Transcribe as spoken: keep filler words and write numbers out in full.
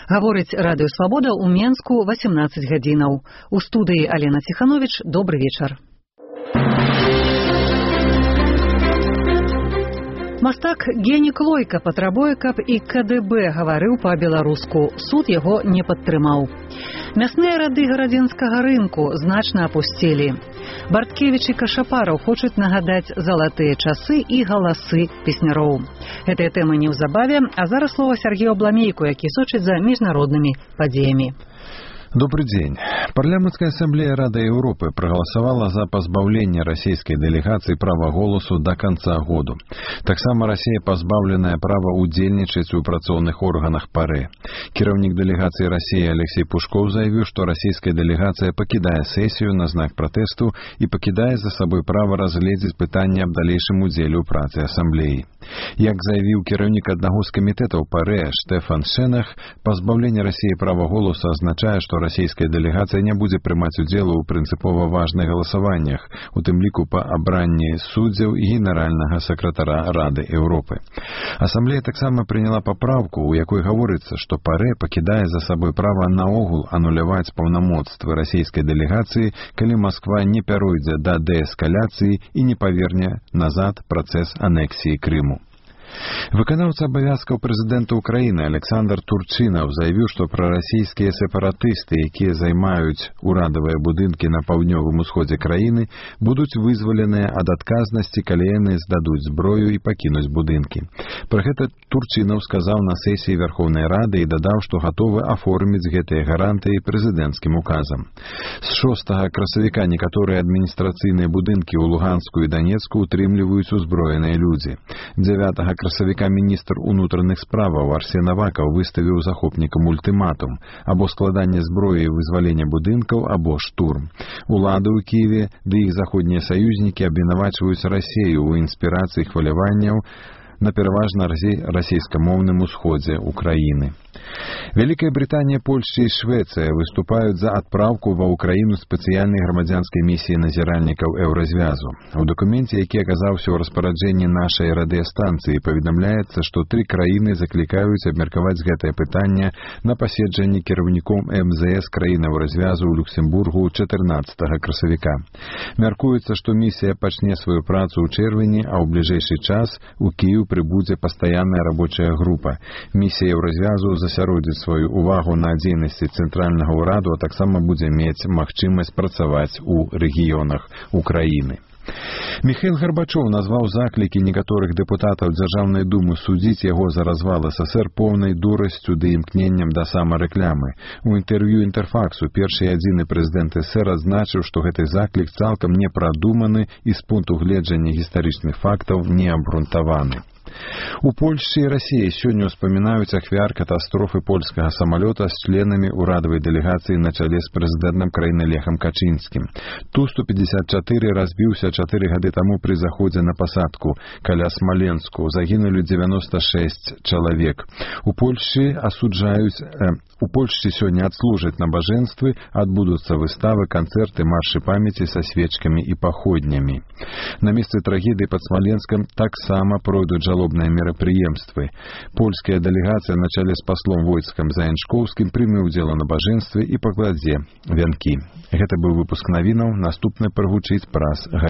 Гаворыць Радыё Свабода ў Менску васемнаццаць гадзінаў. У студыі Алена Ціхановіч. Добры вечар. Мастак Гені Клойка патрабуе, каб і ка дэ бэ гаварыў па-беларуску. Суд яго не падтрымаў. Мясныя рады гарадзенскага рынку значна апусцелі. Барткевіч і Кашапараў хочуць нагадаць залатыя часы і галасы песняроў. Гэтыя тэмы неўзабаве, а зараз слова Сергею Абламейку, які сочыць за міжнароднымі падзеямі. Добрый день. Парламентская ассамблея Рады Европы проголосовала за позбавление российской делегации права голосу до конца года. Таксама Россия позбавленная права удзельнічаць у працоўных органах ПАРЭ. Кіраўнік делегации России Алексей Пушков заявил, что российская делегация покидая сессию на знак протесту и покидая за собой право разгледзець пытанне аб далейшым удзеле ў працы ассамблеі. Як заявіў кіраўнік аднаго з камітэтаў ПАРЭ Штефан Шенах, позбавление России права голосу означае, што расійская дэлегацыя не будзе прымаць удзелу ў прынцыпова важных галасаваннях, у тым ліку па абранні суддзяў і генеральнага сакратара Рады Еўропы. Асамблея таксама прыняла папраўку, у якой гаворыцца, што ПАРЭ пакідае за сабой права наогул ануляваць паўнамоцтвы расійскай дэлегацыі, калі Масква не пяройдзе да дээскаляцыі і не паверне назад працэс анексіі Крыму. Выканаўца абавязкаў прэзідэнта Украіны Александр Турчынаў заявіў, што прарасійскія сепаратысты, якія займаюць урадавыя будынкі на паўднёвым усходзе краіны, будуць вызваленыя ад адказнасці, калі яны здадуць зброю і пакінуць будынкі. Пра гэта Турчынаў сказаў на сесіі Верховнай Рады і дадаў, што гатовы аформіць гэтыя гарантыі прэзідэнцкім указам. З шостага красавіка некаторыя адміністрацыйныя будынкі ў Луганску і Данецку утрымліваюць узброеныя людзі. дзевятага красавіка міністр унутраных справаў Арсен Авакаў выставіў захопнікам ультыматум або складанне зброі і вызвалення будынкаў, або штурм. Улады ў Кіеве ды іх заходнія саюзнікі абвінавачваюць Расею ў інспірацыі хваляванняў на пераважна расійскамоўным усходзе Украіны. Вялікая Брытанія, Польшча і Швецыя выступаюць за адпраўку ва ўкраіну спецыяльнай грамадзянскай місіі назіральнікаў Еўразвязу. У дакуменце, які аказаўся ў распараджэнні нашай радыёстанцыі, паведамляецца, што тры краіны заклікаюць абмеркаваць гэтае пытанне на паседжанні кіраўніком эм зэ эс краін Еўразвязу ў Люксембургу чатырнаццатага красавіка. Мяркуецца, што місія пачне сваю працу ў чэрвені, а ў бліжэйшы час у Кіеў прыбудзе пастаянная рабочая група. Місія Еўразвязу засяродзіць сваю увагу на дзейнасці цэнтральнага ўраду, а таксама будзе мець магчымасць працаваць у рэгіёнах Украіны. Міхаіл Гарбачоў назваў заклікі некаторых дэпутатаў Дзяржаўнай думы судзіць яго за развал эс эс эр поўнай дурасцю ды імкненнем да самарэклямы. У інтэрв'ю Інтэрфаксу першы і адзіны прэзідэнт эс эс эр адзначыў, што гэты заклік цалкам не прадуманы і з пункту гледжання гістарычных фактаў не абгрунтаваны. У Польшчы і Расіі сёння ўспамінаюць ахвяр катастрофы польскага самалёта з членамі ўрадавай дэлегацыі на чале з прэзідэнтам краіны Лехам Качынскім. Ту сто пятьдесят четыре разбіўся чатыры гады таму пры заходзе на пасадку каля Смаленску. Загінулі девяносто шесть чалавек. У Польшчы асуджаюць э, у Польшчы сёння адслужаць набажэнствы, адбудуцца выставы, канцэрты, маршы памяці са свечкамі і паходнямі. На месцы трагедыі пад Смаленскам таксама пройдуць жалобныя мерапрыемствы. Польская дэлегацыя на чале з паслом Войцкам Заяншкоўскім прыме ўдзел у набажэнстве і пакладзе вянкі. Гэта быў выпуск навінаў, наступны прагучыць праз